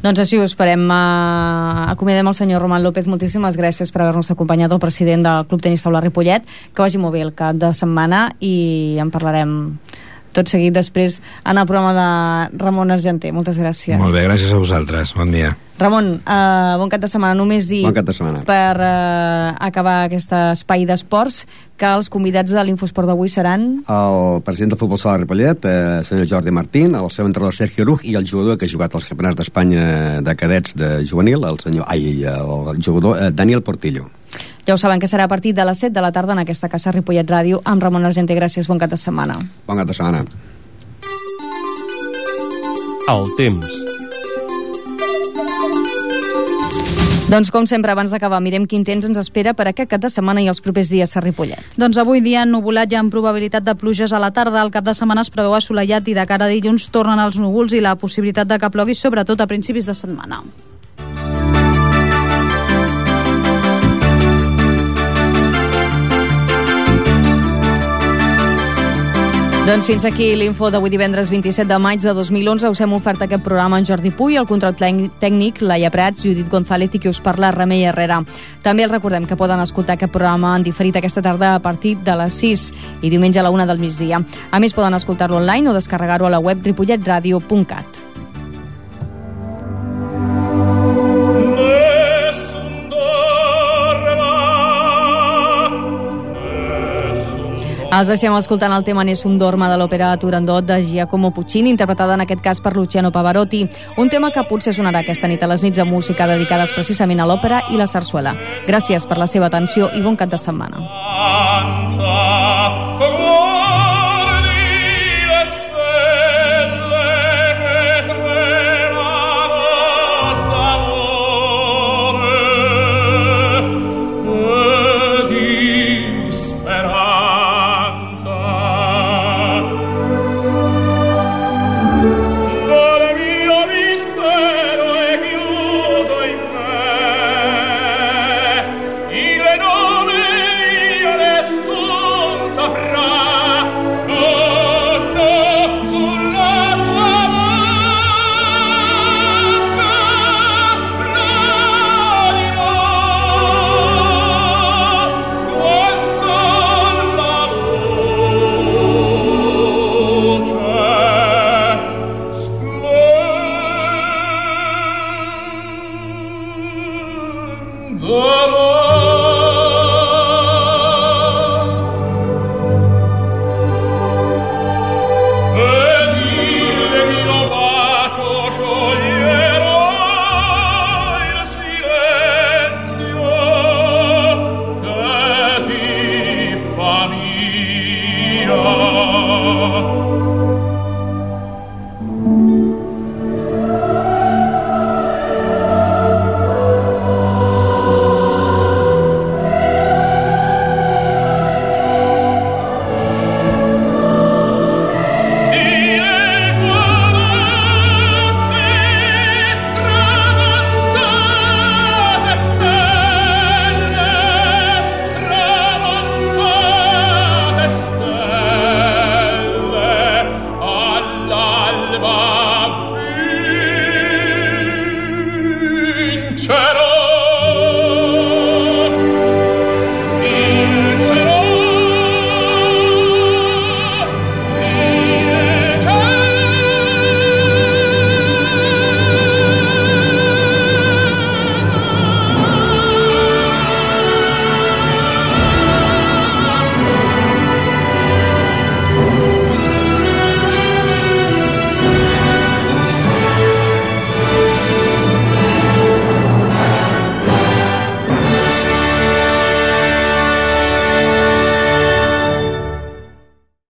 Doncs així ho esperem. Acomiadem el senyor Roman López. Moltíssimes gràcies per haver-nos acompanyat, el president del Club Tenis Taula Ripollet. Que vagi molt bé el cap de setmana, i en parlarem tot seguit després en el programa de Ramon Argenter. Moltes gràcies. Molt bé, gràcies a vosaltres. Bon dia. Ramon, bon cap de setmana. Només dir, bon cap de setmana, per acabar aquest espai d'esports, que els convidats de l'Infosport d'avui seran el president del Futbol Sala Ripollet, senyor Jordi Martín, el seu entrenador Sergio Ruj, i el jugador que ha jugat als campionats d'Espanya de cadets de juvenil, el jugador Daniel Portillo. Ja ho saben, que serà a partir de les 7 de la tarda en aquesta casa Ripollet Ràdio amb Ramon Argenter. Gràcies, bon cap de setmana. Bon cap de setmana. El temps. Doncs com sempre, abans d'acabar, mirem quin temps ens espera per aquest cap de setmana i els propers dies a Ripollet. Doncs avui dia ennuvolat i amb probabilitat de pluges a la tarda. El cap de setmana es preveu assolellat, i de cara a dilluns tornen els núvols i la possibilitat de que plogui, sobretot a principis de setmana. Doncs fins aquí l'info d'avui divendres 27 de maig de 2011. Us hem ofert aquest programa en Jordi Puy, el control tècnic, Laia Prats, Judit González i qui us parla, Remei Herrera. També els recordem que poden escoltar aquest programa en diferit aquesta tarda a partir de les 6 i diumenge a la 1 del migdia. A més, poden escoltar-lo online o descarregar-ho a la web ripolletradio.cat. Els deixem escoltant el tema Nessun Dorma de l'òpera Turandot de Giacomo Puccini, interpretada en aquest cas per Luciano Pavarotti, un tema que potser sonarà aquesta nit a les nits de música dedicades precisament a l'òpera i la sarsuela. Gràcies per la seva atenció i bon cap de setmana. Oh